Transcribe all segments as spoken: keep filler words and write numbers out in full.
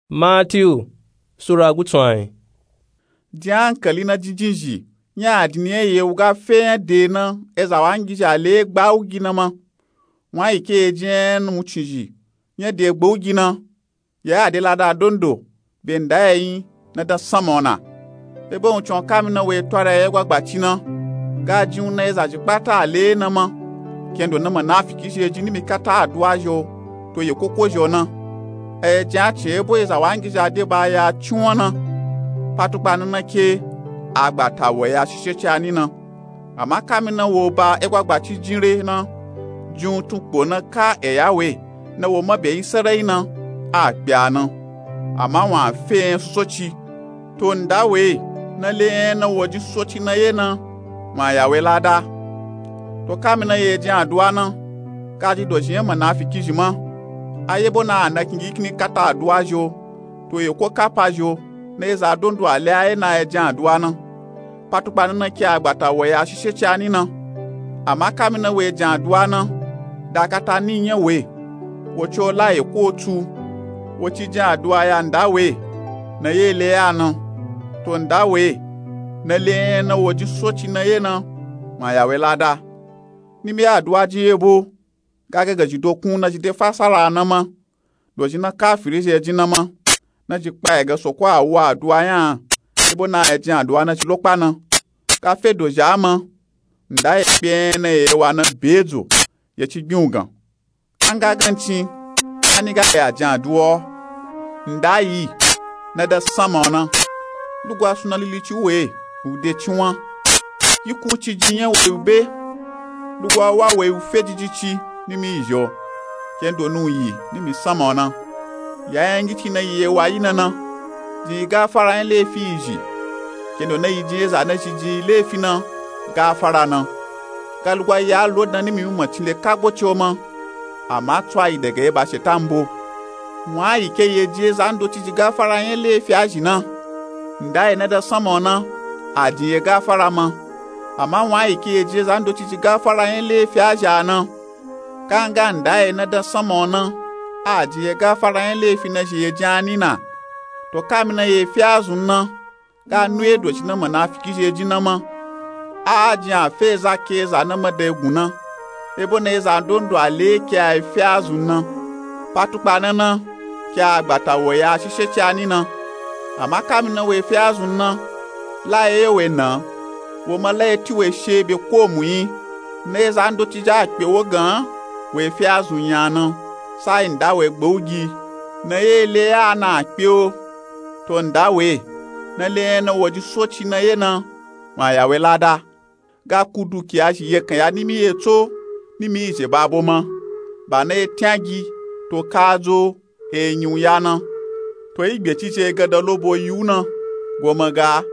Matiyu sura gutsu ayin. Din ankali na jinjinzhi nya adini nya ye wuga fe nya de na eza wangizhi a le gba wugi na ma. Wun ayi ke ye jin nya na wuncin zhi nya de gba wugi na. Ya a de lada dondo be nda ya yin na dan sanma ona. Ebo wuncin o kami na we twara ya ye gwagbaci na ga jin wu na eza zhi kpata a le na ma. Kendo na manafiki zhi ye jin nimi kata aduwa zhi o to ye koko zhi o na. A ye jin a cin ebo eza wangizhi a de ba ya cin wa na. Patukpa na na ke agbata wo ya shishe ci a ni na. Ama kami na wo ba egwagbaci jin re na jin wu tun kpo na ka eya we na wo ma be yin sarayi na a kpe a na. Ama wun a fe nya susoci to nda we na le nya na wo jin susoci na ye na wun a ya we lada. To kami na ye jin aduwa na ga ji dozhi nya manafiki zhi ma. A ye bo na a na kingi kini kata aduwa zhi o to ye ko kapa zhi o na eza dondo a le a ye na a ye jin aduwa na. Patukpa na na ke agbata wo ya shishe ci a ni na. Ama kami na we jin aduwa na da kata ni nya we wo ci o la ye ko tu wo ci jin aduwa ya nda we na ye le ya na. To nda we na le nya na wo jin susoci na ye na wun a ya we lada. Nimi aduwa jin ye bo ga ga ga zhi dokun na zhi de fasara na ma. Dozhi na kafiri zhi ye jin na ma na zhi kpa ye ga soko a wu aduwa nya a. Ebo na a ye jin aduwa na ci lo kpa na ga fe dozhi a ma. Nda ye kpe nya na ye wa na be dzo ye ci gbin wu gan. An ga gancin a ni ga ya jin aduwa o. Nda yi na dan sanma ona. Lugwa suna lilici we wu de cin wa. Yi ku ci jin nya we wu be. Lugwa wa we wu fe jiji ci nimi yi zhi o. Kendo nu yi nimi sanma ona. Ya nya ngici na yi ye wa yi na na jin yi gafara nya lefi yi zhi. Kendo na yi jin eza na zhi jin yi lefi na gafara na. Ga lugwa ya lo dan nimi mimacin le kagbo ci o ma. Ama tsu a yi daga ye ba shetan bo. Wun ayi ke ye jin eza ndoci ji gafara nya lefi a zhi na. Nda ye na dan sanma ona a jin ye gafara ma. Ama wun ayi ke ye jin eza ndoci ji gafara nya lefi a zhi a na. Kanga nda ye na dan sanma ona a jin ye gafara nya lefi na zhi ye jin a ni na. To kami na ye fi a zun na ga nu ye dozhi na manafiki zhi ye jin na ma. A jin a fe eza ke eza na ma dan ye gun na. Ebo na eza dondo a le ke a ye fi a zun na. Patukpa na na ke agbata wo ya shishe ci a ni na. Ama kami na we fi a zun na la ye ye we na wo ma la ye ti we she be ko mu yin. Na eza ndoci ja kpe wo gan we fi a zun nya na. Sa yi nda we gba wugi na ye le ya na kpe o. To nda we na le nya na wo jin susoci na ye na wun a ya we lada. Ga ku dukiya zhi ye kan ya nimi ye tso nimi yi zhe ba bo ma. Ba na ye tyan gi to ka dzo e nyi wu ya na. To yi gbe ci zhi ye ga dan lobo yi wu na go ma ga.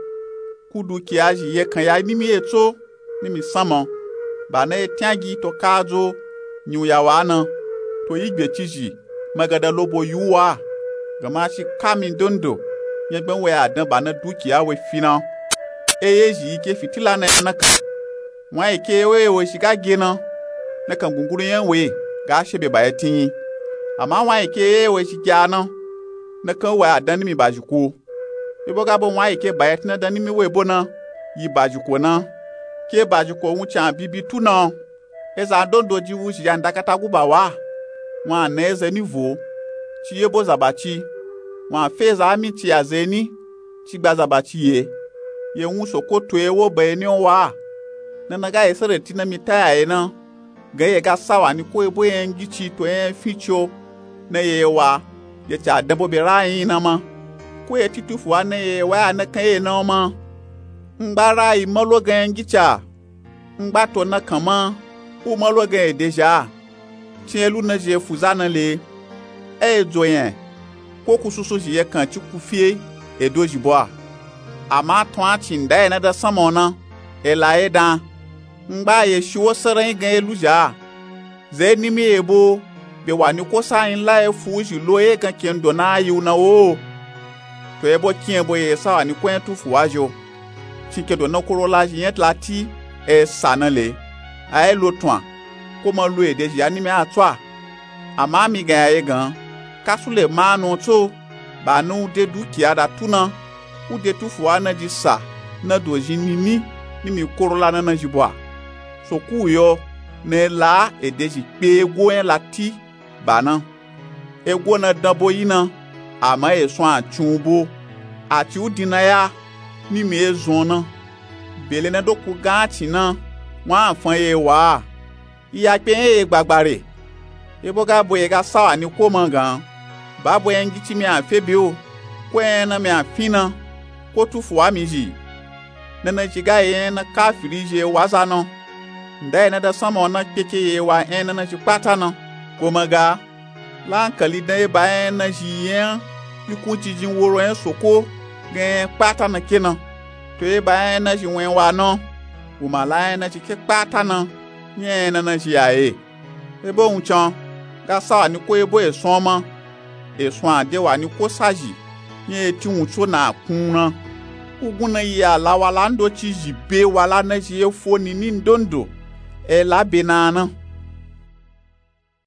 Ku dukiya zhi ye kan ya nimi ye tso nimi sanma. Ba na ye tyan gi to ka dzo nyi wu ya wa na. To yi gbe ci zhi ma ga dan lobo yi wu wa. Gama shi kami dondo nya gban we a dan ba na dukiya we fi na. Eye zhi yi ke fitila na ya na kan. Wun ayi ke ye we ye we zhi ga ge na na kan gunguru nya we ga she be ba ye ti yin. Ama wun ayi ke ye ye we zhi ge a na na kan we a dan nimi ba zhi ko. Ebo ga bo wun ayi ke ba ye ti na dan nimi we bo na yi ba zhi ko na. Ke ba zhi ko wuncin a bibi tu na. Eza dondo ji wu zhi ya nda kata guba wa. Wun a na ye ze ni vo ci ye bo zaba ci. Wun a fe eza aminci ya ze ni ci gba zaba ci ye. Ye wun soko to ye wo ba ye ni o wa. Na na ga ye sere ti na mi ta ya ye na. Ga ye ga sa wa ni ko ye bo ye ngici to ye fin ci o na ye wa. Ye ca dan bo be ra yin na ma. Ko ye ti tufu wa na ye wa ya na kan ye na o ma. Ngba ra yi ma lo gan ye ngici a. Ngba to na kan ma u ma lo gan ye de zha. Cin ye lu na zhi ye fu za na le. E ye dzo yen ko ku susu zhi ye kan ci ku fi e do zhi bo a. Ama tun a cin nda ye na dan sanma o na e la ye dan. Ngba ye shi wo saran yi gan ye lu zha a. Ze nimi ye bo be wa ni ko sa yin la ye fu u zhi lo ye gan kendo na a yi u na wo. To ye bo kin ye bo ye sa wa ni ko yen tufu wa zhi o. Cin kendo na koro la zhi yen la ti e sa na le. A ye lo tun a ko ma lo ye de zhi ya nimi a tso a. Ama mi gan ya ye gan ka su le ma a nu o tso. Ba ni u de dukiya da tu na, u de tufuwa na ji sa na dozhin nini ni mi koro la na na zhi bwa. Soku u yo na e la ede zhi kpe ego nya lati ba na. Ego na danbo yi na, ama esun a cin u bo. A ci u din na ya ni mi e zon na. Bele na doku gan a cin na, wun a fan ye wa a. Iya kpe nya ye gbagba re. Ebo ga bo ye ga sawa ni ko ma gan, ba bo nya ngici mi a fe be o, ko nya na mi a fin na, ko tufuwa mi zhi. Na na zhi ga ye nya na kafiri zhi e wa za na. Nda ye na da sanma o na kpeke ye wa nya na na zhi kpata na. Ko ma ga, la ankali dan e ba nya na zhi ye nya yi kunci jin woro nya soko ga nya kpata na ke na. To e ba nya na zhi wen wa na, wo ma la nya na zhi ke kpata na, nya nya na na zhi ya ye. Ebo wun can, ga sawa ni ko ebo esun o ma, esun a de wa ni ko sa zhi, nya e ti wun co na a kun na. Ugun na yi alawala ndoci zhi be wa la na zhi e fo nini ndondo, e la be na a na.